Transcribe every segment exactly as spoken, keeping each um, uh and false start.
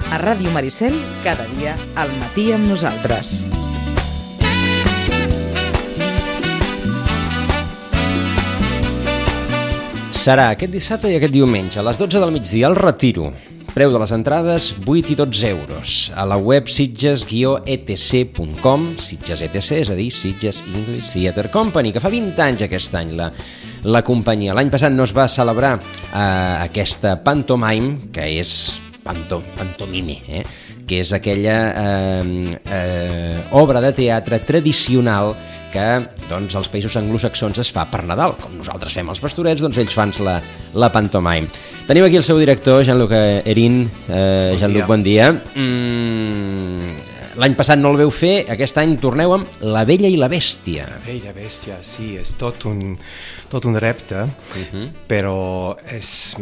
A Ràdio Maricel, cada dia al matí amb nosaltres. Serà aquest dissabte i aquest diumenge, a les dotze del migdia, al Retiro. Preu de les entrades, vuit i dotze euros. A la web sitges guió e te ce punt com, Sitges E T C, és a dir, Sitges English Theatre Company, que fa vint anys aquest any la, la companyia. L'any passat no es va celebrar eh, aquesta pantomime, que és panto, pantomime, eh? que és aquella eh, eh, obra de teatre tradicional que doncs, als països anglosaxons es fa per Nadal. Com nosaltres fem els pastorets, doncs ells fan la, la pantomime. Tenim aquí el seu director, Jean-Luc Erin. Eh, bon Jean-Luc, bon dia. Mm, L'any passat no el veu fer, aquest any torneu amb La Bella i la Bèstia. La Bella i la Bèstia, sí, és tot un, tot un repte, uh-huh. però és,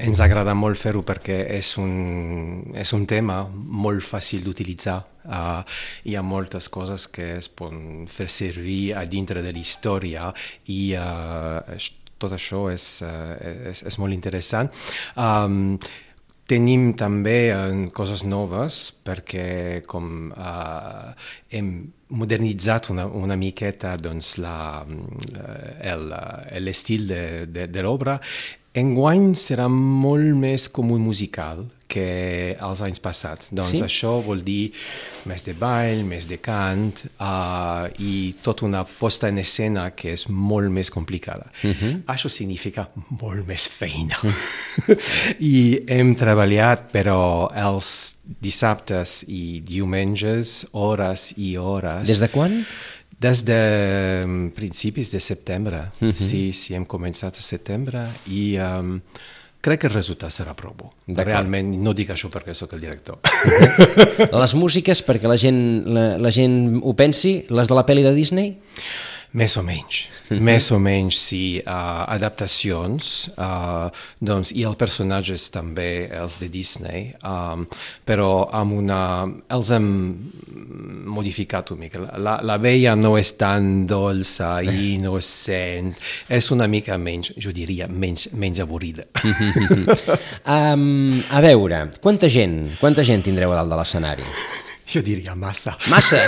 ens agrada molt fer-ho perquè és un, és un tema molt fàcil d'utilitzar. Uh, hi ha moltes coses que es poden fer servir a dintre de la història i uh, tot això és, uh, és, és molt interessant. Um, Tenim també uh, coses noves perquè com uh, hem modernitzat una, una miqueta doncs, la, el, l'estil de, de, de l'obra. Enguany serà molt més com un musical que els anys passats. Doncs sí? Això vol dir més de ball, més de cant uh, i tota una posta en escena que és molt més complicada. Uh-huh. Això significa molt més feina. I hem treballat, però els dissabtes i diumenges, hores i hores. Des de quan? Des de principis de setembre. Uh-huh. Sí, sí, hem començat a setembre i um, crec que el resultat serà prou bo. Realment, no dic això perquè sóc el director. Uh-huh. Les músiques, perquè la gent, la, la gent ho pensi, les de la pel·li de Disney? Més o menys, uh-huh. més o menys, sí, uh, adaptacions, uh, doncs, i els personatges també, els de Disney, um, però amb una, els hem modificat una mica. La, la Bella no és tan dolça i innocent, és una mica menys, jo diria, menys, menys avorrida. um, a veure, quanta gent, quanta gent tindreu a dalt de l'escenari? Jo diria massa. Massa?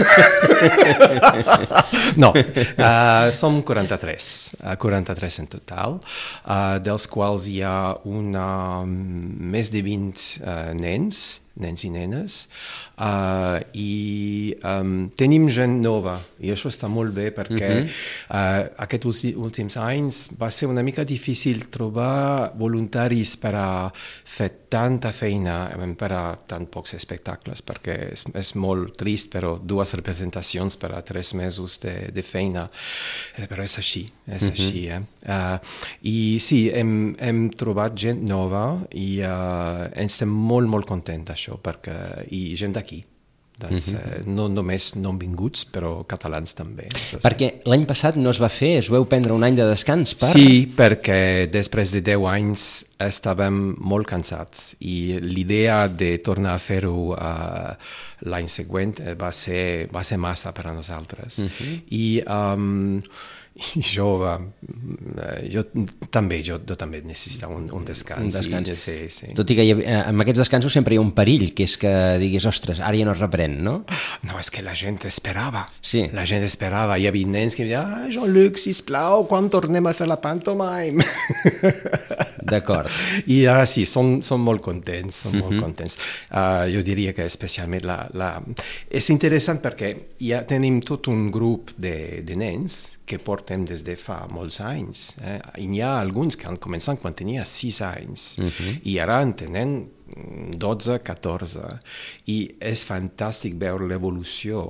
No, uh, som quaranta-tres, uh, quaranta-tres en total, uh, dels quals hi ha una, més de vint uh, nens, nens i nenes, uh, i um, tenim gent nova, i això està molt bé perquè uh-huh. uh, aquests últims anys va ser una mica difícil trobar voluntaris per a fer tanta feina per a tan pocs espectacles, perquè és, és molt trist, però dues representacions per a tres mesos de, de feina, però és així, és uh-huh. així. Eh? Uh, I sí, hem, hem trobat gent nova i uh, estem molt, molt contents això, perquè, i gent d'aquí. Doncs, uh-huh. eh, no només no vinguts, però catalans també. Perquè l'any passat no es va fer, es vau prendre un any de descans per... Sí, perquè després de deu anys estàvem molt cansats i l'idea de tornar a fer-ho uh, l'any següent va ser, va ser massa per a nosaltres. Uh-huh. I... Um, I jo, uh, jo també jo, jo també necessito un, un descans. Un descans. I, sí, sí. Tot i que hi ha, amb aquests descansos sempre hi ha un perill, que és que diguis, ostres, ara ja no es reprèn, no? No, és que la gent esperava. Sí. La gent esperava. Hi havia nens que em deien, ah, Jean-Luc, sisplau, quan tornem a fer la pantomime? D'acord. I ara sí, són, són molt contents, són uh-huh. molt contents. Uh, jo diria que especialment la, la... És interessant perquè ja tenim tot un grup de, de nens que portem des de fa molts anys. Eh? I n'hi ha alguns que han començat quan tenia sis anys uh-huh. i ara en tenen dotze, catorze. I és fantàstic veure l'evolució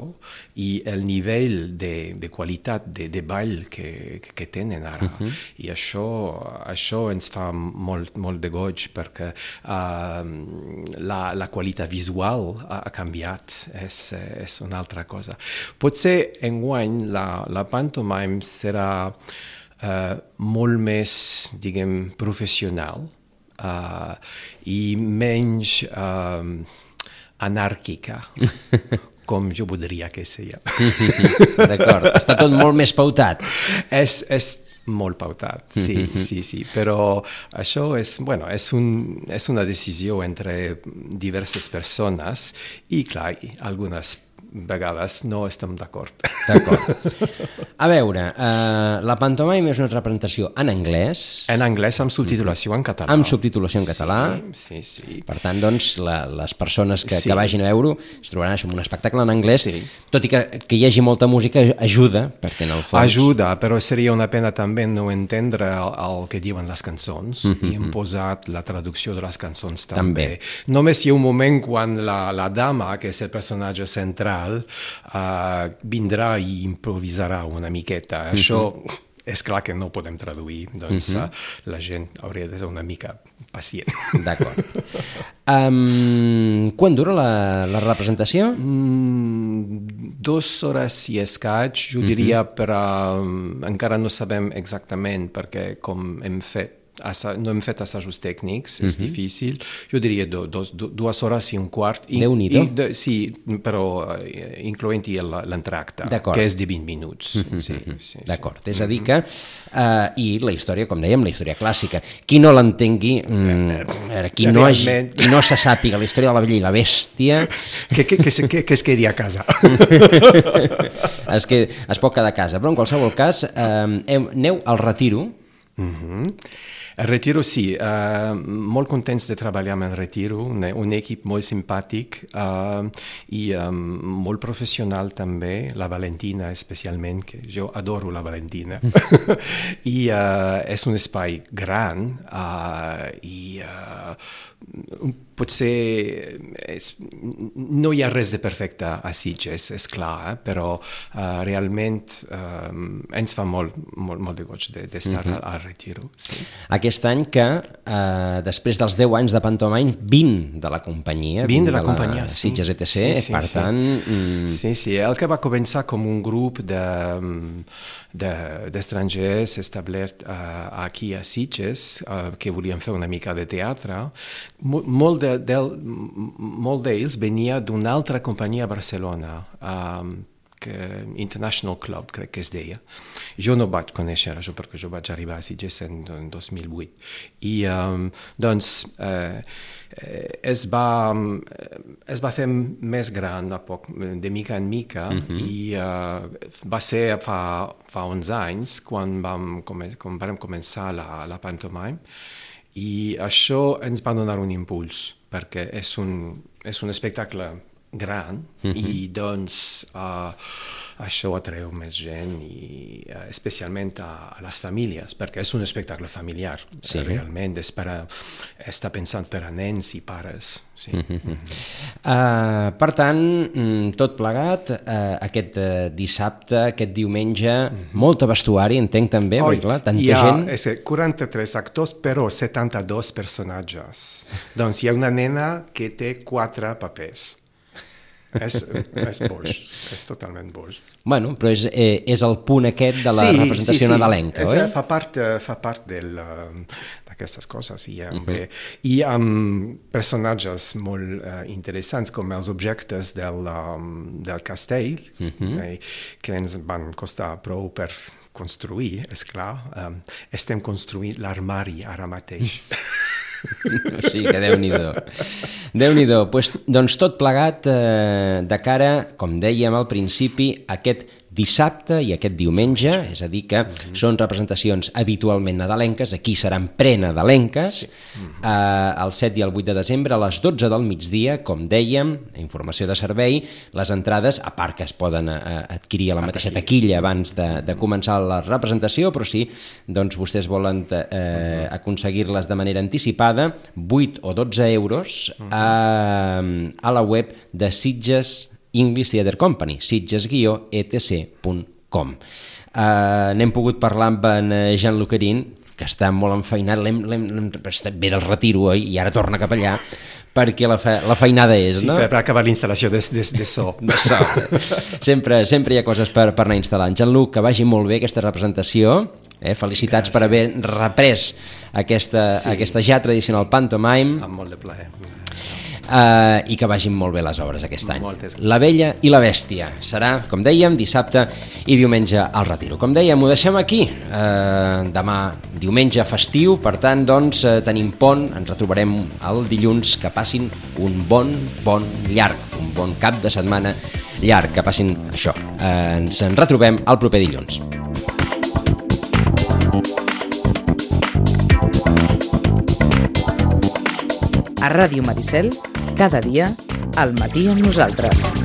i el nivell de, de qualitat de, de ball que, que tenen ara. Uh-huh. I això, això ens fa molt, molt de goig perquè uh, la, la qualitat visual ha, ha canviat. És, és una altra cosa. Potser enguany la, la pantomime serà uh, molt més, diguem, professional. Uh, i menys uh, anàrquica, com jo voldria que sigui. D'acord, està tot molt més pautat. És, és Molt pautat, sí, mm-hmm. sí, sí, però això és, bueno, és, un, és una decisió entre diverses persones i, clar, algunes vegades no estem d'acord. D'acord. A veure, uh, la pantomime és una representació en anglès. En anglès amb subtitulació en català. Amb subtitulació en català. Sí, sí, sí. Per tant, doncs, la, les persones que, sí. que vagin a veure-ho es trobaran això, un espectacle en anglès, sí. tot i que, que hi hagi molta música ajuda, perquè en el fons... Ajuda, però seria una pena també no entendre el, el que diuen les cançons mm-hmm. i hem posat la traducció de les cançons també. també. Només hi ha un moment quan la, la dama, que és el personatge central, Uh, vindrà i improvisarà una miqueta. Mm-hmm. Això és clar que no ho podem traduir, doncs mm-hmm. uh, la gent hauria de ser una mica pacient. D'acord. Um, quan dura la, la representació? Mm, dos hores i escaig, jo mm-hmm. diria, però um, encara no sabem exactament, perquè com hem fet Assa, no hem fet assajos tècnics, és mm-hmm. difícil. Jo diria do, do, do, dues hores i un quart. Déu-n'hi-do. De, sí, però uh, incloent-hi l'entracte, que és de vint minuts. Mm-hmm. Sí, sí, sí. D'acord, és a dir que... Uh, I la història, com dèiem, la història clàssica. Qui no l'entengui, mm, qui, no hagi, qui no se sàpiga la història de la Bella i la Bèstia... Que, que, que, que, que es quedi a casa. es, que, es pot quedar a casa. Però en qualsevol cas, uh, aneu al Retiro. Mm-hmm. El Retiro sí, uh, molt contents de treballar amb el Retiro, un, un equip molt simpàtic uh, i um, molt professional també, la Valentina especialment, que jo adoro la Valentina. I uh, és un espai gran uh, i uh, potser és, no hi ha res de perfecte a Sitges, és clar, eh? Però uh, realment uh, ens fa molt, molt, molt de goig d'estar de, mm-hmm. al Retiro. Sí. Aquest any que, uh, després dels deu anys de pantomime, vint de la companyia, vint de la, de la companyia, sí. Sitges E T C, sí, sí, per sí. tant... Mm... Sí, sí, el que va començar com un grup de, de, d'estrangers establert uh, aquí a Sitges, uh, que volien fer una mica de teatre, molt de, del, molt d'ells venia d'una altra companyia a Barcelona, um, que International Club, crec que es deia. Jo no vaig conèixer això perquè jo vaig arribar a Sitges en, en dos mil vuit. I um, doncs eh, es, va, es va fer més gran a poc, de mica en mica, mm-hmm. i uh, va ser fa, fa onze anys quan vam, quan vam començar la, la pantomime. I això ens va donar un impuls, perquè és un, és un espectacle gran, mm-hmm. i doncs uh, això atreu més gent, i uh, especialment a, a les famílies, perquè és un espectacle familiar, sí. Realment, és per a, està pensant per a nens i pares. Sí. Mm-hmm. Uh, per tant, tot plegat, uh, aquest uh, dissabte, aquest diumenge, mm-hmm. molta vestuari, entenc també, Oi, perquè clar, tanta hi ha, gent... És quaranta-tres actors, però setanta-dos personatges. Doncs hi ha una nena que té quatre papers. és, és boix, és totalment boix. Bueno, però és, eh, és el punt aquest de la sí, representació sí, sí. nadalenca, és, oi? Fa part, fa part del, d'aquestes coses. I, uh-huh. Hi ha um, personatges molt uh, interessants, com els objectes del, um, del castell, uh-huh. eh, que ens van costar prou per construir, és clar. Um, estem construint l'armari ara mateix. Sí, que Déu-n'hi-do. Déu-n'hi-do. Pues, doncs tot plegat eh, de cara, com dèiem al principi, aquest dissabte i aquest diumenge, és a dir que mm-hmm. són representacions habitualment nadalenques, aquí seran prenadalenques, sí. mm-hmm. eh, el set i el vuit de desembre a les dotze del migdia, com dèiem, informació de servei, les entrades, a part que es poden eh, adquirir a la mateixa taquilla abans de, de començar la representació, però si doncs, vostès volen eh, mm-hmm. aconseguir-les de manera anticipada, vuit o dotze euros mm-hmm. a, a la web de Sitges English Theatre Company, sitges guió e te ce punt com. Uh, n'hem pogut parlar amb en Jean Lucarín, que està molt enfeinat, l'hem, l'hem, l'hem, ve del Retiro, oi? I ara torna cap allà, perquè la, fe, la feinada és, sí, no? Sí, per acabar l'instal·lació de, de, de so. De so. sempre, sempre hi ha coses per, per anar instal·lant. Jean-Luc, que vagi molt bé aquesta representació. Eh? Felicitats Gràcies. Per haver reprès aquesta, sí. aquesta ja tradicional pantomime. Amb molt de plaer. uh, i que vagin molt bé les obres aquest any. Moltes gràcies. La Bella i la Bèstia serà, com dèiem, dissabte i diumenge al Retiro. Com dèiem, ho deixem aquí. Uh, demà diumenge festiu, per tant, doncs, uh, tenim pont, ens retrobarem el dilluns. Que passin un bon, bon llarg, un bon cap de setmana llarg, que passin això. Uh, ens en retrobem el proper dilluns. A Ràdio Maricel, cada dia, al matí amb nosaltres.